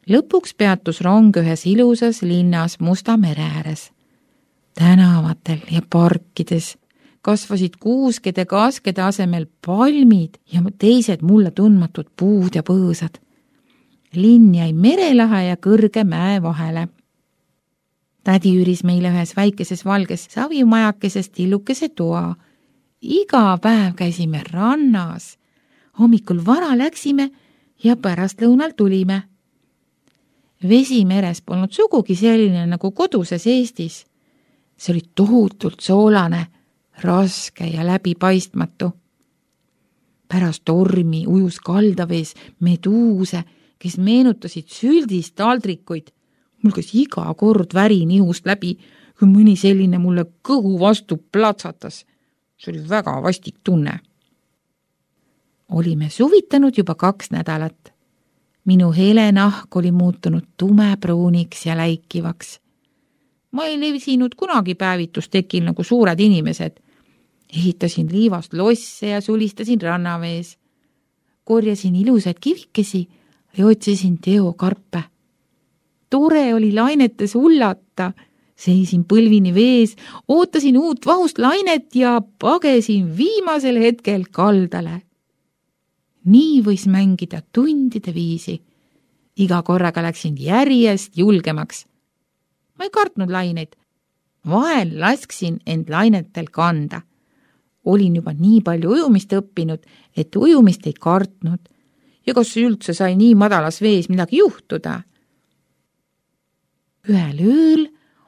Lõpuks peatus rong ühes ilusas linnas Musta mere ääres. Tänavatel ja parkides kasvasid kuuskede kaaskede asemel palmid ja teised mulle tundmatud puud ja põõsad. Linn jäi merelahe ja kõrge mäe vahele. Tädi üüris meile ühes väikeses valges savimajakeses tillukese toa. Iga päev käisime rannas. Hommikul vara läksime ja pärastlõunal tulime. Vesi meres polnud sugugi selline nagu koduses Eestis. See oli tohutult soolane, raske ja läbipaistmatu. Pärast tormi ujus kaldavees meduuse, kes meenutasid süldist taldrikuid. Mul käis iga kord väri nihust läbi, kui mõni selline mulle kõhu vastu platsatas. See oli väga vastik tunne. Olime suvitanud juba 2 nädalat. Minu hele nahk oli muutunud tumepruuniks ja läikivaks. Ma ei levisinud kunagi päevitustekil nagu suured inimesed. Ehitasin liivast losse ja sulistasin rannavees. Korjasin ilusaid kivikesi ja otsisin teokarpe. Tore oli lainetes hullata. Seisin põlvini vees, ootasin uut vahust lainet ja pagesin viimasel hetkel kaldale. Nii võis mängida tundide viisi. Iga korraga läksin järjest julgemaks. Ma ei kartnud laineid. Vahel lasksin end lainetel kanda. Olin juba nii palju ujumist õppinud, et ujumist ei kartnud. Ja kas üldse sai nii madalas vees midagi juhtuda? Ühel ööl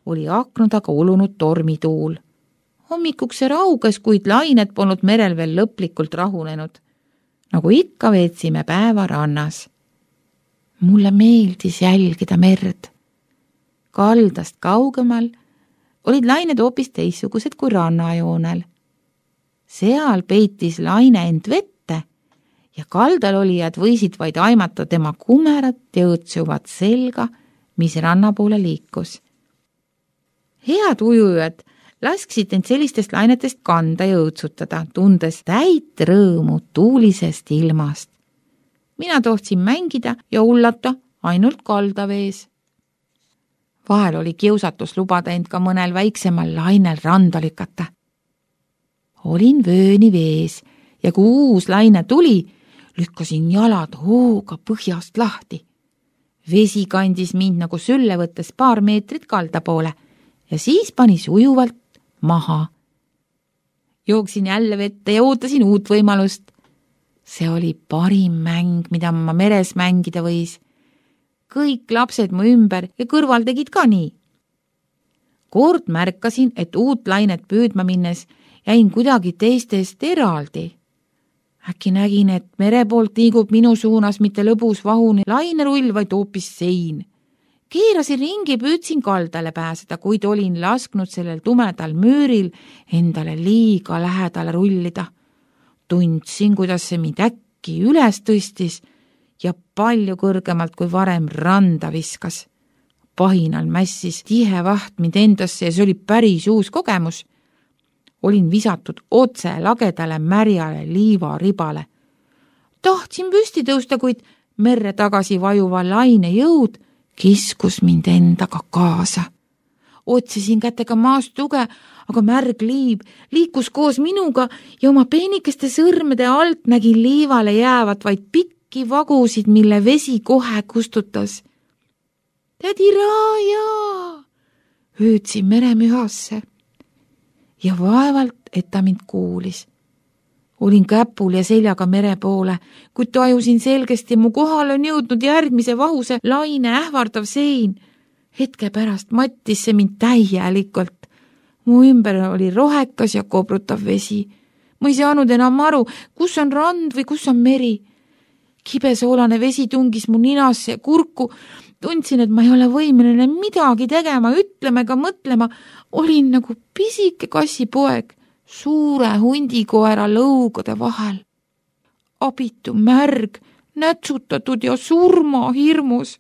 oli akna taga ulunud tormituul. Hommikuks see rauges, kuid lained polnud merel veel lõplikult rahunenud. Nagu ikka veetsime päeva rannas. Mulle meeldis jälgida merd. Kaldast kaugemal olid lained hoopis teistsugused kui rannajoonel. Seal peitis laine end vette ja kaldal olijad võisid vaid aimata tema kumerat ja õõtsuvat selga, mis ranna poole liikus. Head ujujad lasksid end sellistest lainetest kanda ja õõtsutada, tundes täit rõõmu tuulisest ilmast. Mina tohtsin mängida ja hullata ainult kaldavees. Vahel oli kiusatus lubada end ka mõnel väiksemal lainel randa lükata. Olin vööni vees ja kui uus laine tuli, lükkasin jalad hooga põhjast lahti. Vesi kandis mind nagu sülle võttes paar meetrit kalda poole ja siis panis ujuvalt maha. Jooksin jälle vette ja ootasin uut võimalust. See oli parim mäng, mida ma meres mängida võis. Kõik lapsed mu ümber ja kõrval tegid ka nii. Kord märkasin, et uut lainet püüdma minnes jäin kuidagi teistest eraldi. Äkki nägin, et mere poolt liigub minu suunas mitte lõbus vahune lainerull, vaid hoopis sein. Keerasin ringi, püüdsin kaldale pääseda, kuid olin lasknud sellel tumedal müüril endale liiga lähedale rullida. Tundsin, kuidas see mind äkki üles tõstis ja palju kõrgemalt kui varem randa viskas. Pahinal mässis tihe vaht mind endasse ja see oli päris uus kogemus. Olin visatud otse lagedale märjale liivaribale. Tahtsin püsti tõusta, kuid merre tagasi vajuva laine jõud kiskus mind endaga kaasa. Otsisin kätega maast tuge, aga märg liiv liikus koos minuga ja oma peenikeste sõrmede alt nägin liivale jäävat vaid pikki vagusid, mille vesi kohe kustutas. Tädi Raaja! Hüüdsin meremühasse ja vaevalt, et ta mind kuulis. Olin käpul ja seljaga mere poole, kuid tajusin selgesti, mu kohal on jõudnud järgmise vahuse laine ähvardav sein. Hetke pärast mattis see mind täielikult. Mu ümber oli rohekas ja kobrutav vesi. Ma ei saanud enam aru, kus on rand või kus on meri. Kibesoolane vesi tungis mu ninasse ja kurku. Tundsin, et ma ei ole võimeline midagi tegema, ütlema ega mõtlema. Olin nagu pisike kassipoeg suure hundikoera lõugade vahel. Abitu märg, nätsutatud ja surmahirmus.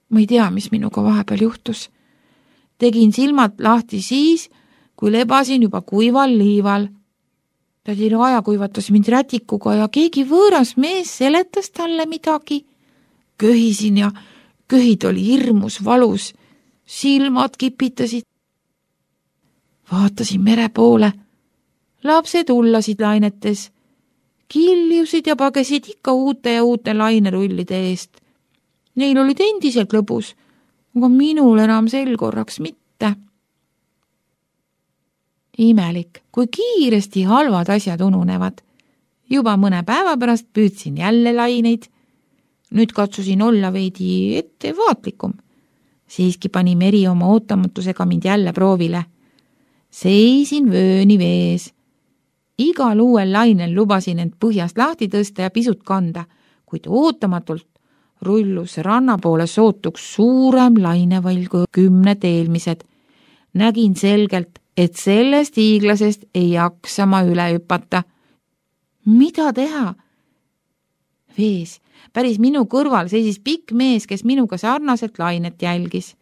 Ma ei tea, mis minuga vahepeal juhtus. Tegin silmad lahti siis, kui lebasin juba kuival liival. Tädi Raaja kuivatas mind rätikuga ja keegi võõras mees seletas talle midagi. Köhisin ja köhid oli hirmus valus, silmad kipitasid. Vaatasin mere poole. Lapsed hullasid lainetes, kiljusid ja pagesid ikka uute ja uute lainerullide eest. Neil olid endiselt lõbus, aga minul enam sel korraks mitte. Imelik, kui kiiresti halvad asjad ununevad. Juba mõne päeva pärast püüdsin jälle laineid. Nüüd katsusin olla veidi ettevaatlikum. Siiski pani meri oma ootamatusega mind jälle proovile. Seisin vööni vees. Igal uuel lainel lubasin end põhjast lahti tõsta ja pisut kanda, kuid ootamatult rullus ranna poole sootuks suurem lainevall kui 10 eelmised. Nägin selgelt, et sellest hiiglasest ei jaksa ma üle hüpata. Mida teha? Vees, päris minu kõrval seisis pikk mees, kes minuga sarnaselt lainet jälgis.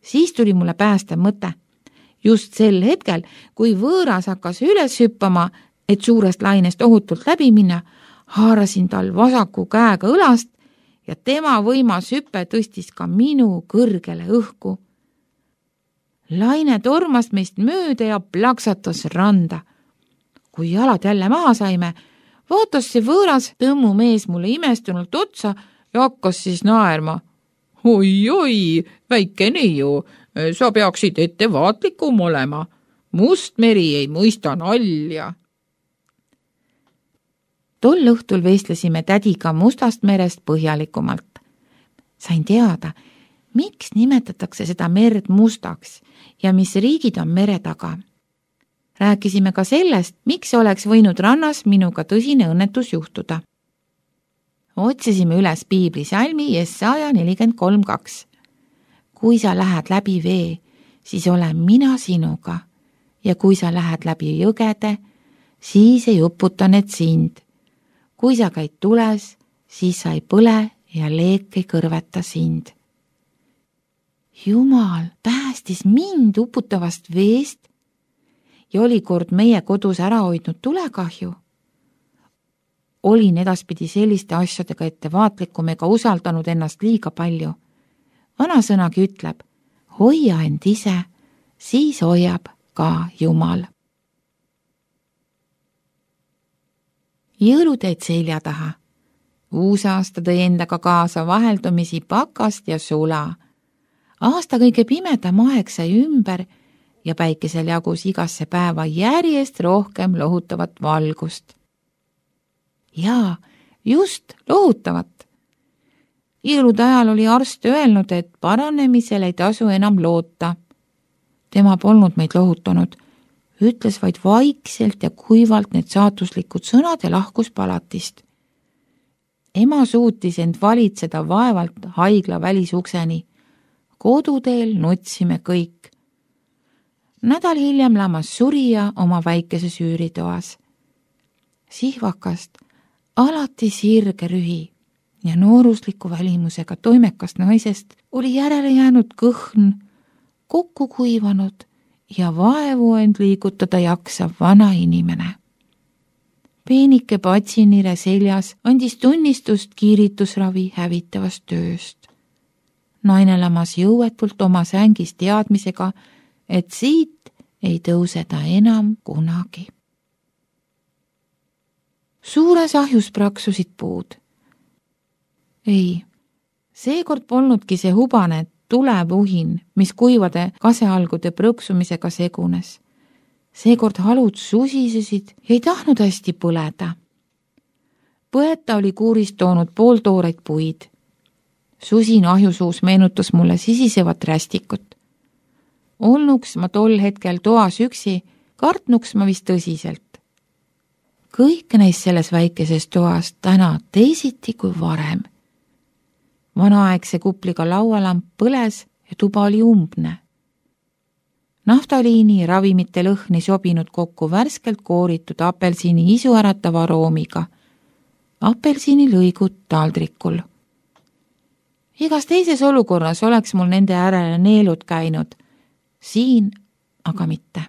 Siis tuli mulle päästev mõte. Just sel hetkel, kui võõras hakkas üles hüppama, et suurest lainest ohutult läbi minna, haarasin tal vasaku käega õlast ja tema võimas hüpe tõstis ka minu kõrgele õhku. Laine tormas meist mööda ja plaksatas randa. Kui jalad jälle maha saime, vaatas see võõras tõmmu mees mulle imestunult otsa ja hakkas siis naerma. Oi, väike neiu, sa peaksid ettevaatlikum olema. Must meri ei mõista nalja. Tol õhtul vestlesime tädiga Mustast merest põhjalikumalt. Sain teada, miks nimetatakse seda merd mustaks ja mis riigid on mere taga. Rääkisime ka sellest, miks oleks võinud rannas minuga tõsine õnnetus juhtuda. Otsisime üles Piibli salmi Jesaja 43:2. Kui sa lähed läbi vee, siis olen mina sinuga ja kui sa lähed läbi jõgede, siis ei uputa need sind. Kui sa käid tules, siis sa ei põle ja leek ei kõrveta sind. Jumal päästis mind uputavast veest ja oli kord meie kodus ära hoidnud tulekahju. Olin edaspidi selliste asjadega ettevaatlikum ega usaldanud ennast liiga palju. Vanasõnagi ütleb, hoia end ise, siis hoiab ka Jumal. Jõuluteed selja taha. Uusaasta tõi endaga kaasa vaheldumisi pakast ja sula. Aasta kõige pimedam aeg sai ümber ja päikesel jagus igasse päeva järjest rohkem lohutavat valgust. Jaa, just lohutavat. Jõulude ajal oli arst öelnud, et paranemisel ei tasu enam loota. Tema polnud meid lohutanud, ütles vaid vaikselt ja kuivalt need saatuslikud sõnad ja lahkus palatist. Ema suutis end valitseda vaevalt haigla välisukseni. Koduteel nutsime kõik. Nädal hiljem lamas surija oma väikeses üüritoas. Sihvakast alati sirge rühi ja noorusliku välimusega toimekast naisest oli järele jäänud kõhn, kokku kuivanud ja vaevu end liigutada jaksav vana inimene. Peenike patsinire seljas andis tunnistust kiiritusravi hävitavast tööst. Naine lamas jõuetult oma sängis teadmisega, et siit ei tõuse ta enam kunagi. Suures ahjus praksusid puud. Ei, seekord polnudki see hubane tulevuhin, mis kuivade kasealgude prõksumisega segunes. Seekord halud susisesid ja ei tahtnud hästi põleda. Põeta oli kuurist toonud pooltooreid puid. Susin ahjusuus meenutas mulle sisisevat rästikut. Olnuks ma tol hetkel toas üksi, kartnuks ma vist tõsiselt. Kõik neist selles väikeses toas täna teisiti kui varem. Vanaaegse kupliga laualamp põles ja tuba oli umbne. Naftaliini ja ravimite lõhn ei sobinud kokku värskelt kooritud apelsini isuäratava aroomiga. Apelsini lõigud taldrikul. Igas teises olukorras oleks mul nende äärele neelud käinud, siin aga mitte.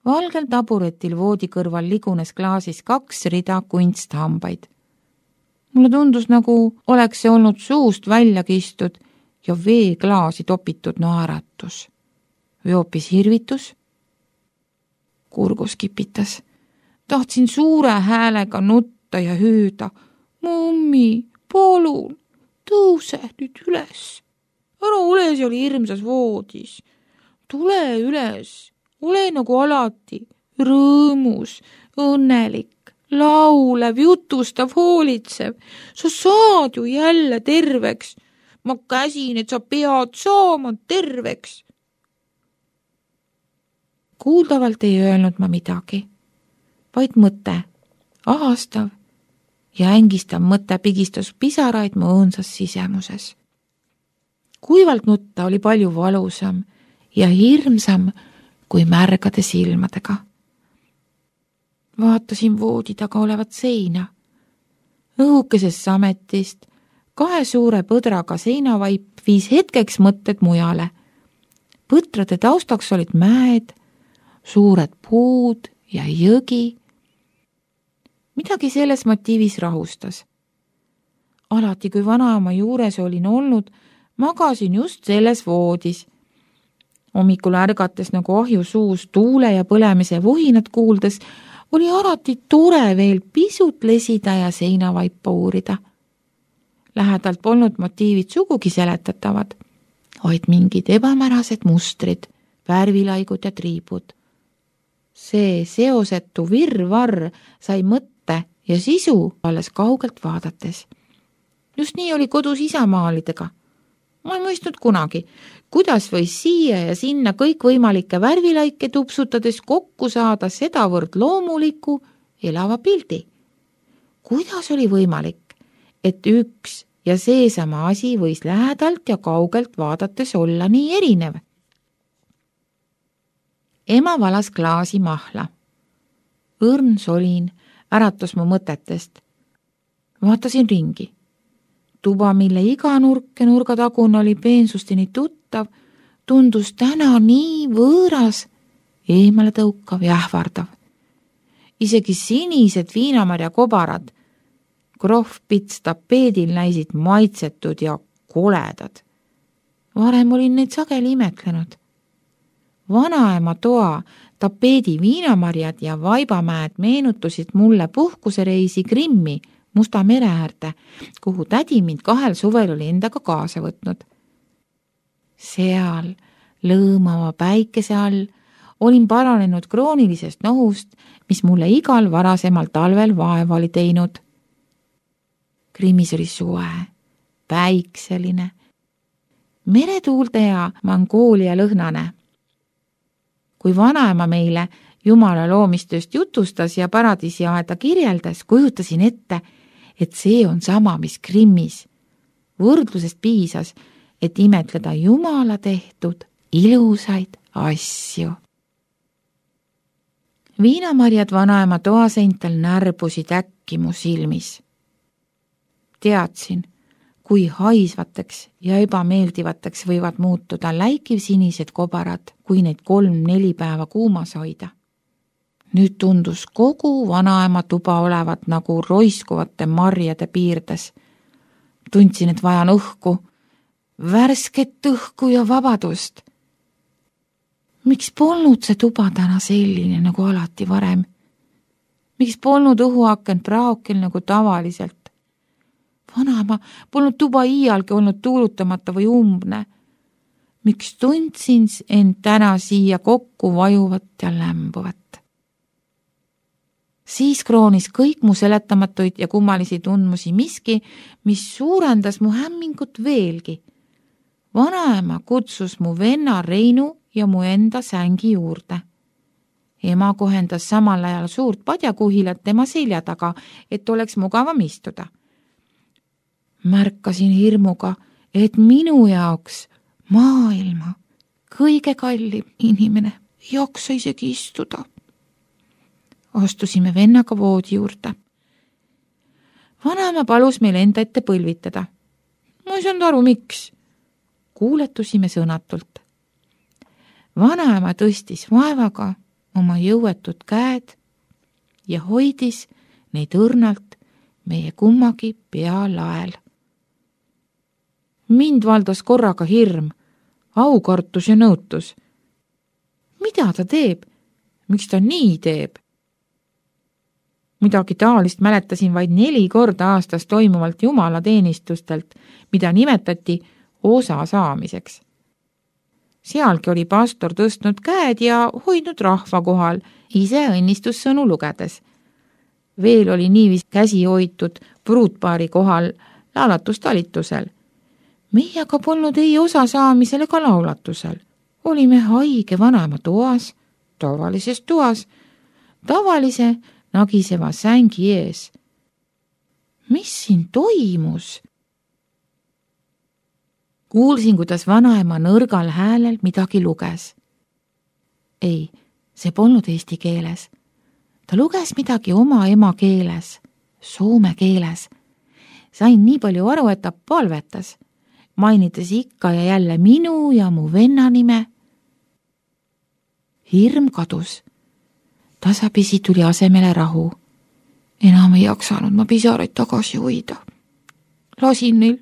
Valgel taburetil voodi kõrval ligunes klaasis 2 rida kunsthambaid. Mulle tundus, nagu oleks see olnud suust välja kistud ja veeklaasi topitud naeratus. Või hoopis hirvitus. Kurgus kipitas. Tahtsin suure häälega nutta ja hüüda. Mummi, palun, tõuse nüüd üles. Ära ole seal hirmsas voodis. Tule üles, ole nagu alati, rõõmus, õnnelik, laulev, jutustav, hoolitsev. Sa saad ju jälle terveks. Ma käsin, et sa pead saama terveks. Kuuldavalt ei öelnud ma midagi, vaid mõte, ahastav ja ängistav mõte pigistas pisaraid mu õõnsas sisemuses. Kuivalt nutta oli palju valusam ja hirmsam kui märgade silmadega. Vaatasin voodi taga olevat seina. Õhukesest sametist 2 suure põdraga seinavaip viis hetkeks mõtted mujale. Põtrade taustaks olid mäed, suured puud ja jõgi. Midagi selles motiivis rahustas. Alati, kui vanaema juures olin olnud, magasin just selles voodis. Hommikul ärgates nagu ahju suus tuule ja põlemise vuhinat kuuldes, oli alati tore veel pisut lesida ja seinavaipa uurida. Lähedalt polnud motiivid sugugi seletatavad, vaid mingid ebamärased mustrid, värvilaigud ja triibud. See seosetu virvarr sai mõtte ja sisu alles kaugelt vaadates. Just nii oli kodus isamaalidega. Ma ei mõistnud kunagi, kuidas võis siia ja sinna kõikvõimalikke värvilaike tupsutades kokku saada sedavõrd loomuliku elava pildi. Kuidas oli võimalik, et üks ja seesama asi võis lähedalt ja kaugelt vaadates olla nii erinev? Ema valas klaasi mahla. Õrn solin äratas mu mõtetest. Vaatasin ringi. Tuba, mille iga nurk ja nurgatagune oli peensusteni tuttav, tundus täna nii võõras, eemale tõukav ja ähvardav. Isegi sinised viinamarja kobarad, krohvpits tapeedil näisid maitsetud ja koledad. Varem olin neid sageli imetlenud. Vanaema toa, tapeedi viinamarjad ja vaibamäed meenutusid mulle puhkusereisi Krimmi, Musta mere äärde, kuhu tädi mind 2 suvel oli endaga kaasa võtnud. Seal, lõõmava päikese all, olin paranenud kroonilisest nohust, mis mulle igal varasemal talvel vaeva oli teinud. Krimmis oli suve, päikseline, meretuulde ja Mongoolia lõhnane. Kui vanaema meile Jumala loomistööst jutustas ja paradiisiaeda kirjeldas, kujutasin ette, et see on sama, mis Krimmis. Võrdlusest piisas, et imetleda Jumala tehtud ilusaid asju. Viinamarjad vanaema toaseintel närbusid äkki mu silmis. Teadsin, kui haisvateks ja ebameeldivateks võivad muutuda läikivsinised kobarad, kui neid 3-4 päeva kuumas hoida. Nüüd tundus kogu vanaema tuba olevat nagu roiskuvate marjade piirdes. Tundsin, et vajan õhku, värsket õhku ja vabadust. Miks polnud see tuba täna selline nagu alati varem? Miks polnud õhuakent praokil nagu tavaliselt? Vanaema polnud tuba iialgi olnud tuulutamata või umbne. Miks tundsin end täna siia kokku vajuvat ja lämbuvat? Siis kroonis kõik mu seletamatuid ja kummalisi tundmusi miski, mis suurendas mu hämmingut veelgi. Vanaema kutsus mu venna Reinu ja mu enda sängi juurde. Ema kohendas samal ajal suurt padjakuhilat tema selja taga, et oleks mugavam istuda. Märkasin hirmuga, et minu jaoks maailma kõige kallim inimene ei jaksa isegi istuda. Astusime vennaga voodi juurde. Vanaema palus meil enda ette põlvitada. Ma ei saanud aru, miks. Kuuletusime sõnatult. Vanaema tõstis vaevaga oma jõuetud käed ja hoidis neid õrnalt meie kummagi pealael. Mind valdas korraga hirm, aukartus ja nõutus. Mida ta teeb? Miks ta nii teeb? Midagi taolist mäletasin vaid 4 korda aastas toimuvalt jumalateenistustelt, mida nimetati osa saamiseks. Sealgi oli pastor tõstnud käed ja hoidnud rahva kohal, ise õnnistussõnu lugedes. Veel oli niivis käsi hoitud pruutpaari kohal laulatustalitusel. Meie aga polnud ei osa saamisel ega laulatusel. Olime haige vanaema toas, tavalises toas, tavalise nagiseva sängi ees. Mis siin toimus? Kuulsin, kuidas vanaema nõrgal häälel midagi luges. Ei, see polnud eesti keeles. Ta luges midagi oma emakeeles, soome keeles. Sain nii palju aru, et ta palvetas, mainides ikka ja jälle minu ja mu venna nime. Hirm kadus. Tasapisi tuli asemele rahu. Enam ei jaksanud ma pisaraid tagasi hoida. Lasin neil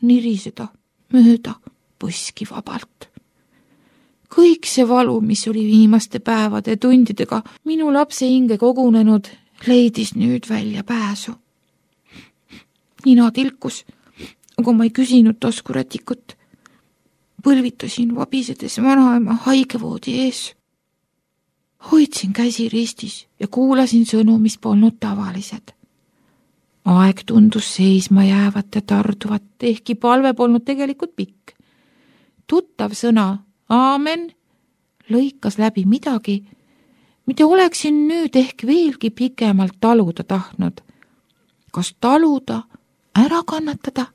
niriseda mööda põski vabalt. Kõik see valu, mis oli viimaste päevade tundidega minu lapse hinge kogunenud, leidis nüüd välja pääsu. Nina tilkus, aga ma ei küsinud taskurätikut. Põlvitasin vabisedes vanaema haigevoodi ees. Hoidsin käsi ristis ja kuulasin sõnu, mis polnud tavalised. Aeg tundus seisma jäävat ja tarduvat, ehkki palve polnud tegelikult pikk. Tuttav sõna aamen lõikas läbi midagi, mida oleksin nüüd ehk veelgi pikemalt taluda tahtnud. Kas taluda, ära kannatada?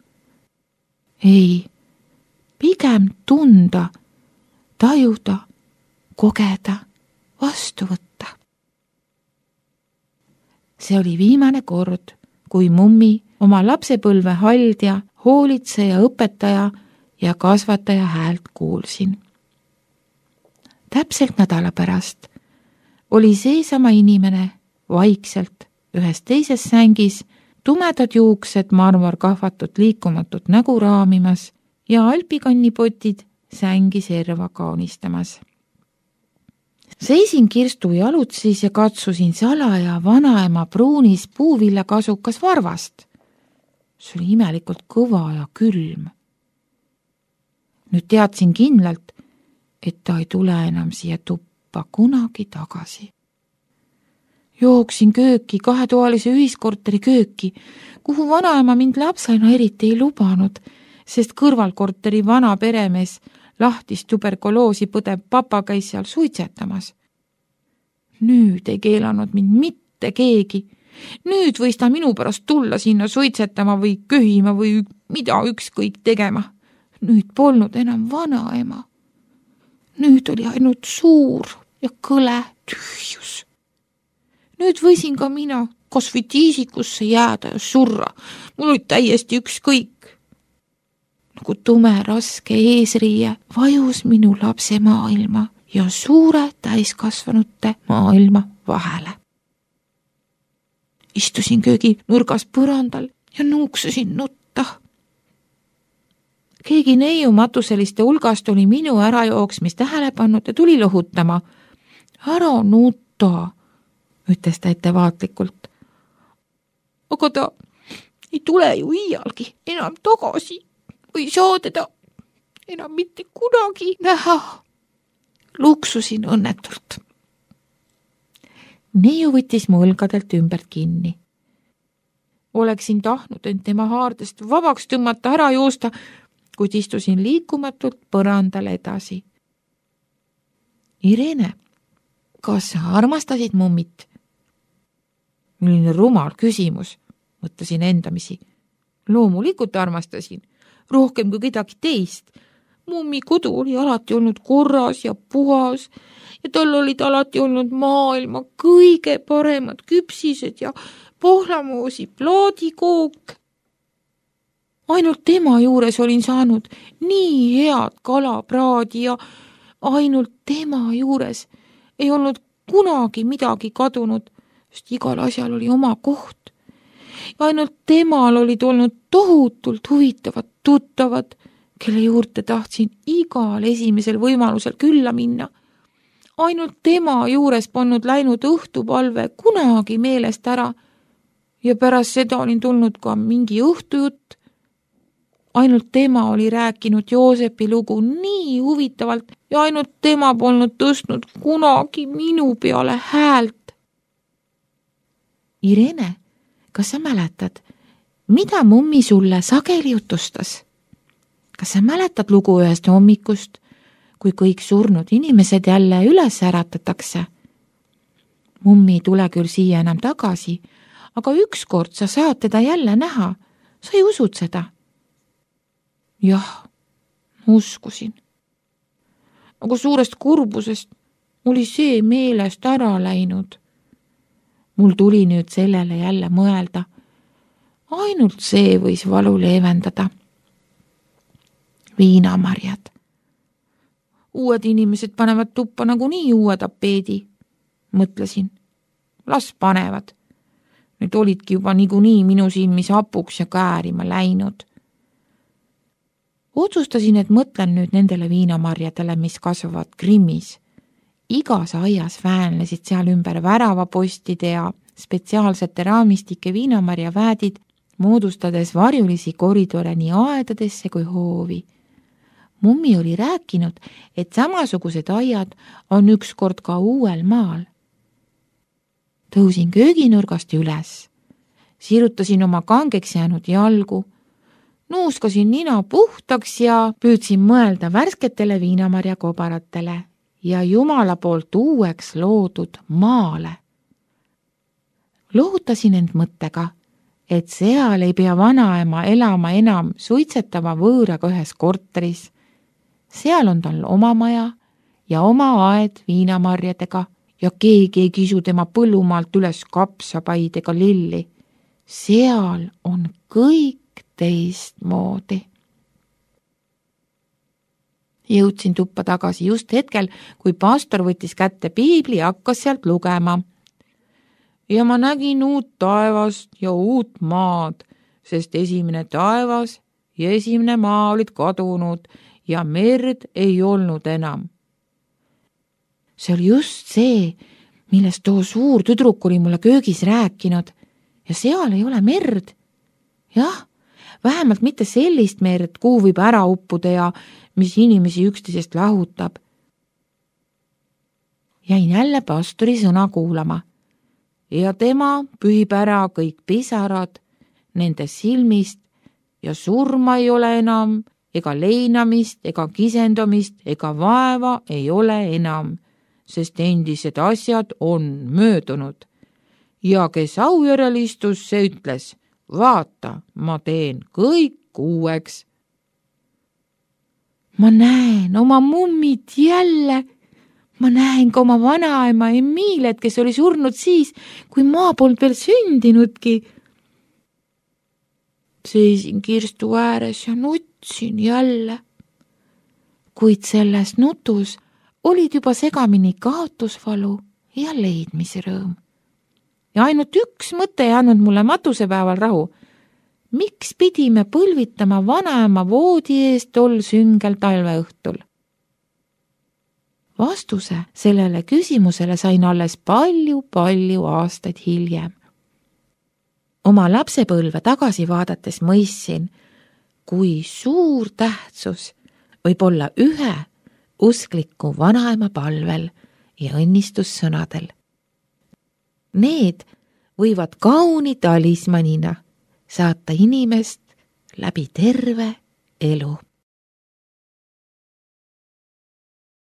Ei, pigem tunda, tajuda, kogeda, vastu võtta. See oli viimane kord, kui mummi oma lapsepõlve haldja, hoolitseja, õpetaja ja kasvataja häält kuulsin. Täpselt nädala pärast oli seesama inimene vaikselt ühes teises sängis, tumedad juuksed marmorkahvatud liikumatut nägu raamimas ja alpikannipotid sängi serva kaunistamas. Seisin kirstu jalutsis ja katsusin salaja vanaema pruunis puuvillakasukas varvast. See oli imelikult kõva ja külm. Nüüd teadsin kindlalt, et ta ei tule enam siia tuppa kunagi tagasi. Jooksin kööki, 2-toalise ühiskorteri kööki, kuhu vanaema mind lapsena eriti ei lubanud, sest kõrvalkorteri vana peremees lahtist tuberkuloosi põdev papa käis seal suitsetamas. Nüüd ei keelanud mind mitte keegi. Nüüd võis ta minu pärast tulla sinna suitsetama või köhima või mida ükskõik tegema. Nüüd polnud enam vanaema. Nüüd oli ainult suur ja kõle tühjus. Nüüd võisin ka mina kas või tiisikusse jääda ja surra. Mul oli täiesti ükskõik. Nagu tume raske eesriie vajus minu lapse maailma ja suure täiskasvanute maailma vahele. Istusin köögi nurgas põrandal ja nuuksusin nutta. Keegi neiu matuseliste hulgast oli minu ärajooksmist tähele pannud ja tuli lohutama. Ära nutta, ütles ta ettevaatlikult. Aga ta ei tule ju iialgi enam tagasi. Või saa teda enam mitte kunagi näha. Luksusin õnnetult. Neiu võttis mu õlgadelt ümbert kinni. Oleksin tahtnud end tema haardest vabaks tõmmata, ära joosta, kuid istusin liikumatult põrandal edasi. Irene, kas sa armastasid mummit? Milline rumal küsimus, mõtlesin endamisi. Loomulikult armastasin. Rohkem kui kedagi teist. Mummi kodu oli alati olnud korras ja puhas ja tal olid alati olnud maailma kõige paremad küpsised ja pohlamoosi plaadikook. Ainult tema juures olin saanud nii head kalapraadi ja ainult tema juures ei olnud kunagi midagi kadunud, sest igal asjal oli oma koht. ja ainult temal olid olnud tohutult huvitavad tuttavad, kelle juurde tahtsin igal esimesel võimalusel külla minna. Ainult tema juures polnud läinud õhtupalve kunagi meelest ära ja pärast seda olin tulnud ka mingi õhtujutt. Ainult tema oli rääkinud Joosepi lugu nii huvitavalt ja ainult tema polnud tõstnud kunagi minu peale häält. Irene, kas sa mäletad, mida mummi sulle sageli jutustas? Kas sa mäletad lugu ühest hommikust, kui kõik surnud inimesed jälle üles äratatakse? Mummi ei tule küll siia enam tagasi, aga ükskord sa saad teda jälle näha. Sa ei usud seda? Jah, uskusin. Aga suurest kurbusest oli see meelest ära läinud. Mul tuli nüüd sellele jälle mõelda. Ainult see võis valu leevendada. Viinamarjad. Uued inimesed panevad tuppa nagunii uue tapeedi. Mõtlesin, las panevad. Need olidki juba niikuinii minu silmis hapuks ja käärima läinud. Otsustasin, et mõtlen nüüd nendele viinamarjadele, mis kasvavad Grimmis. Igas aias väänlesid seal ümber väravapostide ja spetsiaalsete raamistike viinamarjaväädid, moodustades varjulisi koridore nii aedadesse kui hoovi. Mummi oli rääkinud, et samasugused aiad on ükskord ka uuel maal. Tõusin kööginurgast üles, sirutasin oma kangeks jäänud jalgu, nuuskasin nina puhtaks ja püüdsin mõelda värsketele viinamarja kobaratele ja Jumala poolt uueks loodud maale. Lohutasin end mõttega, et seal ei pea vanaema elama enam suitsetava võõraga ühes korteris. Seal on tal oma maja ja oma aed viinamarjadega ja keegi ei kisu tema põllumaalt üles kapsapaid ega lilli. Seal on kõik teistmoodi. Jõudsin tuppa tagasi just hetkel, kui pastor võttis kätte piibli ja hakkas sealt lugema. Ja ma nägin uut taevast ja uut maad, sest esimene taevas ja esimene maa olid kadunud ja merd ei olnud enam. See oli just see, millest too suur tüdruk oli mulle köögis rääkinud ja seal ei ole merd. Jah, vähemalt mitte sellist merd, kuhu võib ära uppuda ja mis inimesi üksteisest lahutab. Jäin jälle pastori sõna kuulama ja tema pühib ära kõik pisarad nende silmist ja surma ei ole enam, ega leinamist, ega kisendumist, ega vaeva ei ole enam, sest endised asjad on möödunud. Ja kes aujärel istus, see ütles, vaata, ma teen kõik uueks. Ma näen oma mummid jälle. Ma näen ka oma vanaema Emilet, kes oli surnud siis, kui maa polnud veel sündinudki. Seisin kirstu ääres ja nutsin jälle. Kuid selles nutus olid juba segamini kaotusvalu ja leidmisrõõm. Ja ainult üks mõte ei andnud mulle matusepäeval rahu. Miks pidime põlvitama vanaema voodi eest tol süngel talveõhtul? Vastuse sellele küsimusele sain alles palju aastaid hiljem. Oma lapsepõlve tagasi vaadates mõistsin, kui suur tähtsus võib olla ühe uskliku vanaema palvel ja õnnistussõnadel. Need võivad kauni talismanina saata inimest läbi terve elu.